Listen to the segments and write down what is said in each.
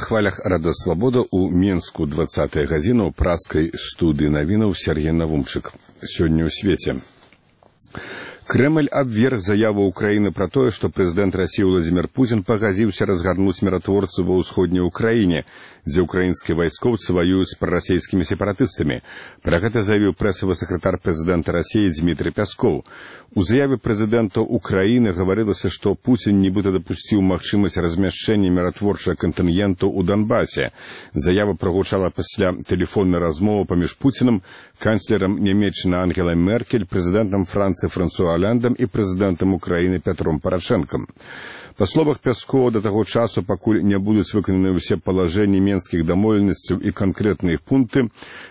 хвалях Рада Свабода у Менску 20-я гадзіна ў праскай студыі навінаў Сергей Навумчык. Сёння ў свеце. Кремль абверг заяву Украины про то, что президент России Владимир Путин пагадзіўся разгарнуць миротворцы ва ўсходняй Украине, дзе украинские вайскоўцы воюют с пророссийскими сепаратыстами. Про гэта заявіў прэсавы сакратар президента России Дмитрий Пясков. У заяве президента Украины говорилось, что Путин нібыта допустил магчымасць размяшчэння миротворчага контынгенту у Донбассе. Заява прагучала пасля тэлефоннай размовы паміж Путиным, канцлером Нямецчыны Ангелай Меркель, президентом Франции Франсуа Олляндом и президентом Украины Петром Порошенком. По словах Пяскова, до того часу, пакуль не будут выкананы все положения менских домовленностей и конкретные пункты,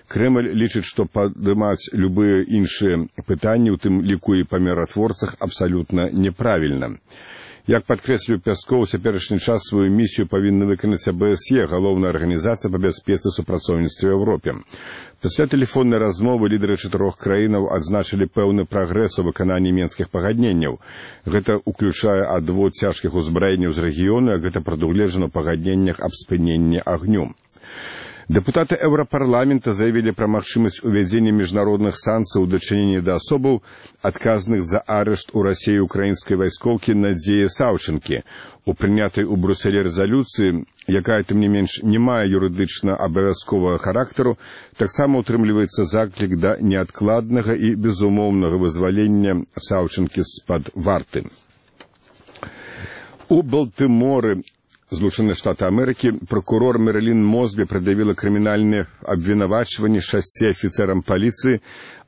Кремль лічыць, что падымаць любые іншыя пытанні, у тым ліку і па миротворцах, абсолютно неправильно. Як падкрэсліў Пясков, у цяперашні час сваю місію павінна выканаць АБСЕ, галоўная арганізацыя па бяспецы і супрацоўніцтве ў Еўропе. Пасля тэлефоннай размовы лідары 4 краінаў адзначылі пэўны прагрэс у выкананні менскіх пагадненняў. Гэта ўключае адвод цяжкіх узбраенняў з рэгіёну, як гэта прадугледжана ў пагадненнях аб спыненні агню. Депутаты Еўрапарламента заявілі пра магчымасць увядзення міжнародных санкцый у дачыненні да асобаў, адказных за арышт у Расіі украінскай вайскоўкі Надзеі Саўчынкі. У прынятай у Брюсселі рэзалюцыі, якая тым не менш не мае юрыдычна абавязковага характару, таксама утрымліваецца заклік да неадкладнага і безумоўнага вызвалення Саўчынкі з-пад варты. У Балтыморы, Злучаныя Штаты Америки, прокурор Мэрилін Мосбі прад'явіла крымінальнае абвінавачванне 6 афіцэрам паліцыі,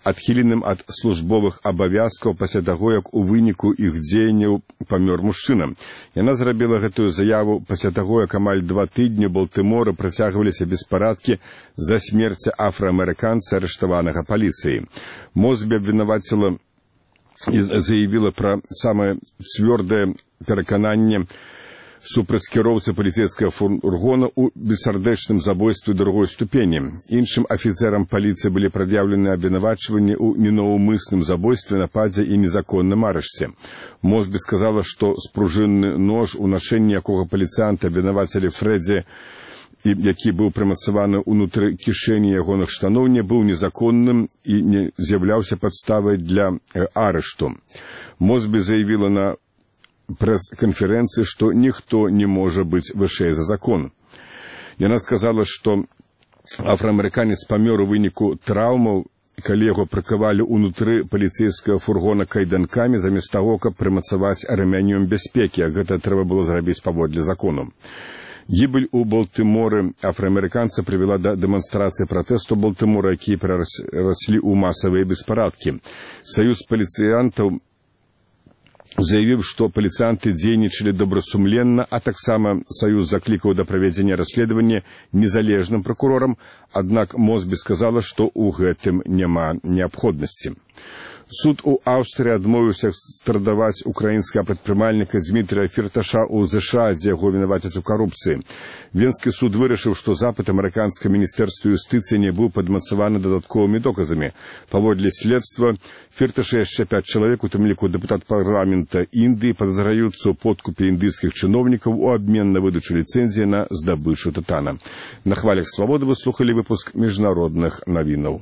адхіленым ад службовых абавязкаў пасля таго, як у выніку іх дзеянняў памёр мужчына. Яна зрабіла гэтую заяву пасля таго, як амаль 2 тыдні ў Балтыморы працягваліся беспарадкі за смерці афраамерыканца, арыштаванага паліцыяй. Мосбі абвінаваціла і заявіла пра самае цвёрдае перакананне супраць кіроўцы паліцэйскага фургона у бессардэчным забойстве другой ступені. Іншым афіцэрам паліцыі былі прад'яўлены абвінавачванні ў ненаўмысным забойстве, нападзе і незаконным арышце. Мосбі сказала, што спружынны нож, у нашэнні якога паліцыянта абвінавацілі Фрэдзі, які быў прымацаваны ўнутры кішэні ягоных штаноў, не быў незаконным і не з'яўляўся падставай для арышту. Мосбі заявіла на прэс-канферэнцыі, што ніхто не можа быць вышэй за закон. Яна сказала, што афраамерыканец памёр у выніку траўмаў, калі яго прыкавалі ўнутры паліцэйскага фургона кайданкамі, замест таго, каб прымацаваць рэмянём бяспекі, а гэта трэба было зрабіць паводле закону. Гібель у Балтыморы афраамерыканца прывяла да дэманстрацыі пратэсту Балтымора, якія перараслі ў масавыя беспарадкі. Саюз паліцыянтаў заявіў, што паліцыянты дзейнічалі добрасумленна, а таксама Саюз заклікаў да правядзення расследавання незалежным пракурорам, аднак Мосбі сказала, што ў гэтым няма неабходнасці. Суд у Аўстрыі адмовіўся экстрадаваць украінскага прадпрымальніка Дмітрія Фірташа ў ЗША, дзе яго вінавацяць у карупцыі. Венскі суд вырашыў, што запыт амерыканскага міністэрства юстыцыі не быў падмацаваны дадатковымі доказамі. Паводле следства, Фірташа яшчэ 5 чалавек, у тым ліку дэпутат парламента Індыі, падазраюцца ў подкупе індыйскіх чыноўнікаў у абмен на выдачу ліцэнзіі на здабычу тытана. На хвалях Свабоды вы слухалі выпуск міжнародных навінаў.